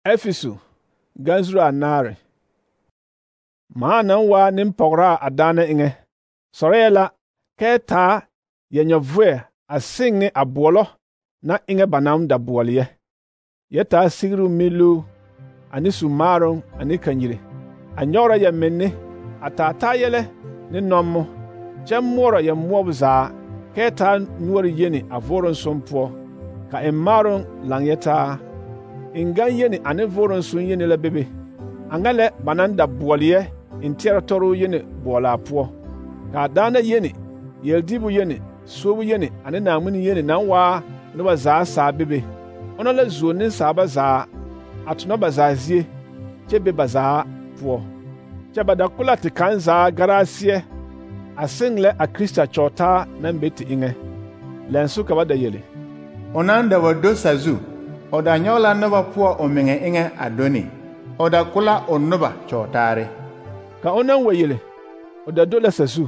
Efesu ganzuru anaare. Maa naŋ waa nempɔgraa a daana eŋɛ sɔrɛɛ la kɛɛ taa yɛnyɛvoɛ a seŋ ne a boɔlɔ na eŋɛ ba naŋ da boɔle yɛ. Yɛ taa sigiri miluu ane su-maaroŋ ane kanyiri, a nyɔgrɔ yɛmenne, a taa taa yɛlɛ ne nɔmmo, kyɛ moɔrɔ yɛmoɔbo zaa, kɛɛ taa noɔre yeni a vooroŋ poɔ, ka eŋ maaroŋ laŋ yɛ taa. Eŋgaŋ yeni ane vooroŋ yeni la bebe. A ŋa lɛ ba naŋ da boɔle yɛ eŋ teɛrɛ tɔroo yeni boɔlaa poɔ. Ka a daana yeni, yeldiibu yeni, suobu yeni ane Naaŋmen yeni naŋ waa noba zaa saa bebe. Ona la zuo nensaaba zaa a tona ba zaa zie kyɛ be ba zaa poɔ. Kyɛ ba da ko la te kaŋ zaa garaa seɛ a seŋ lɛ a Krista kyɔɔtaa naŋ be te eŋɛ. Lɛnso ka ba da yele: O naŋ da wa do sazu, o da nyɔge la noba poɔ o meŋɛ eŋɛ a do ne. O da ko la o noba kyɔɔtaare. Ka o naŋ wa yele, o da do la sazu,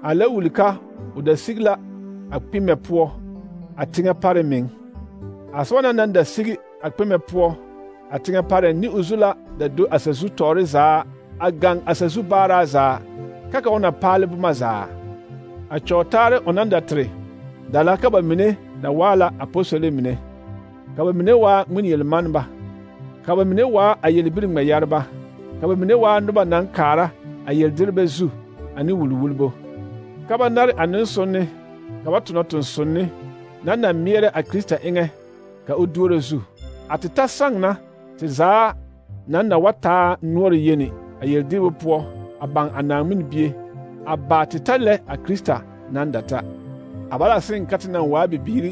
a la wuli ka o da sigi la a kpimɛ poɔ a teŋɛ pare meŋ. A soba na naŋ da sigi a kpimɛ poɔ a teŋɛ pareŋ ne o zu la da do a sazu tɔɔre zaa a gaŋ a sazu baaraa zaa, ka o na paale boma zaa. A kyɔɔtaare o naŋ da tere da la ka ba mine da waa la apostole mine, ka ba mine waa ŋmenyelmanneba, ka ba mine waa a yelbiri ŋmɛyɛreba, ka ba mine waa noba naŋ kaara a yeldiribɛ zu ane wulwulbo, ka ba nare a nensonne, ka ba tona tonsonne naŋ na meɛrɛ a Krista eŋɛ ka o duoro zu. A te ta saŋ na te zaa naŋ na wa taa noɔre yeni a yeldirbo poɔ a baŋ a Naaŋmen Bie, a baa te ta lɛ a Krista naŋ da ta. A ba la seŋ ka te naŋ waa bibiiri,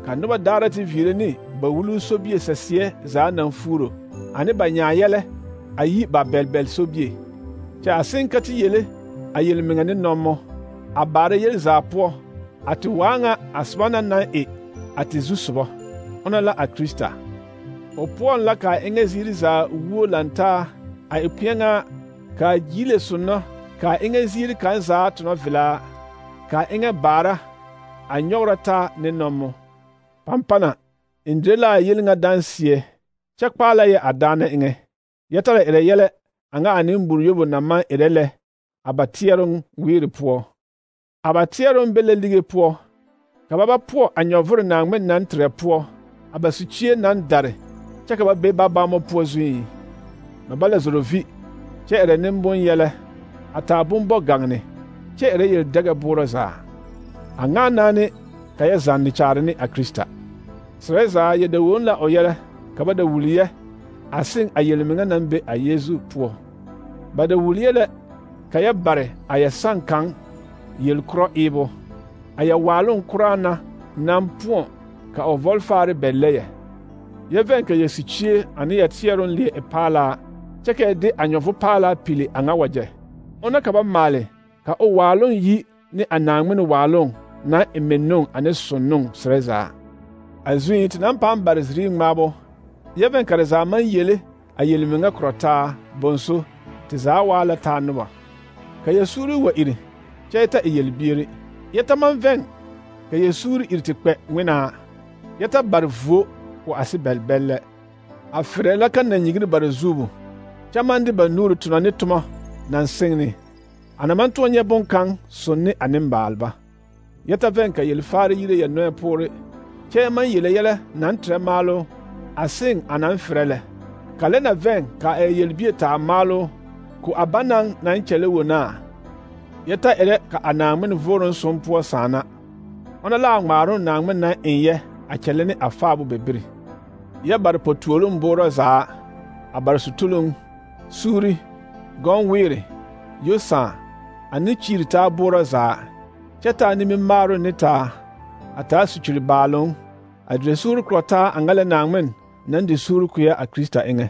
ka noba daara te viire ne ba wuluu sobie saseɛ zaa naŋ fuuro, ane ba nyaa-yɛlɛ a yi ba bɛl-bɛl sobie. Kyɛ a seŋ ka te yele a yelmeŋɛ ne nɔmmo, a baara yel zaa poɔ, a te waa ŋa a soba na naŋ e a te zusobɔ, ona la a Krista. O poɔŋ la ka a eŋɛ ziiri zaa wuo lantaa a e kpeɛŋaa, ka a gyiile sonnɔ, ka a eŋɛ ziiri kaŋ zaa tona velaa, ka a eŋɛ baara a nyɔgrɔ taa ne nɔmmo. Pampana, n dire la a yel ŋa danseɛ, kyɛ kpaa la yɛ a daana eŋɛ. Yɛ tara erɛ yɛlɛ a ŋa a nembore yobo naŋ maŋ erɛ lɛ a ba teɛroŋ weere poɔ. A ba teɛroŋ be la lige poɔ, ka ba ba poɔ a nyɔvore Naaŋmen naŋ terɛ poɔ, a ba sukyie naŋ dare, kyɛ ka ba be ba bammo poɔ zuiŋ. Ba ba la zoro vi, kyɛ erɛ nembonyɛlɛ, a taa bombɔ-gaŋne, kyɛ erɛ yel-dɛgɛ boorɔ zaa. A ŋa na ne ka yɛ zanne kyaare ne a Krista. Serɛ zaa yɛ da won la o yɛlɛ ka ba da wuli yɛ a seŋ a yelmeŋɛ naŋ be a Yeezu poɔ. Ba da wuli yɛ lɛ ka yɛ bare a yɛ saŋ kaŋ yel-korɔ eebo, a yɛ waaloŋ koraa na naŋ poɔ ka o vɔlfaare bɛllɛ yɛ. Yɛ vɛŋ ka yɛ sukyie ane yɛ teɛroŋ leɛ e paalaa, kyɛ ka yɛ de a nyɔvo paalaa pili a ŋa wagyɛ. Ona ka ba maale ka o waaloŋ yi ne a Naaŋmen waaloŋ naŋ e menoŋ ane sonnoŋ serɛ zaa. A zuiŋ te naŋ pãã bare zirii ŋmaabo, yɛ vɛŋ ka te zaa maŋ yele a yelmeŋɛ korɔ taa bonso te zaa waa la taa noba. Ka yɛ suuri wa iri, kyɛ yɛ ta e yelbieri. Yɛ ta maŋ vɛŋ ka yɛ suuri iri te kpɛ ŋmenaa. Yɛ ta bare vuo o a se bɛl-bɛl lɛ. A ferɛ la ka nanyigiri bare zuubu, kyɛ maŋ de ba nuuri tona ne tomɔ naŋ seŋ ne. A na maŋ toɔ nyɛ boŋkaŋ sonne a nembaalba. Yɛ ta vɛŋ ka yel-faare yire yɛ nɔɛ poore, kyɛ yɛ maŋ yele yɛlɛ naŋ terɛ maaloo a seŋ a naŋ ferɛ lɛ. Ka lɛ na vɛŋ ka a yelbie taa maaloo ko a banaŋ naŋ kyɛlɛ wonaa. Yɛ ta erɛ ka a Naaŋmen vooroŋ som poɔ sãana. Ona la a ŋmaaroŋ Naaŋmen naŋ eŋ yɛ a kyɛlɛ ne a faabo bebiri. Yɛ bare po-tuoloŋ boorɔ zaa, a bare sutuluŋ, suuri, gɔŋ-weere, yo-sãã, ane kyiiri taa boorɔ zaa, kyɛ taa nimimaaroŋ ne taa, a taa sukyiri baaloŋ, a dire suuri korɔ taa a ŋa lɛ Naaŋmen naŋ de suuri ko yɛ a Krista eŋɛ.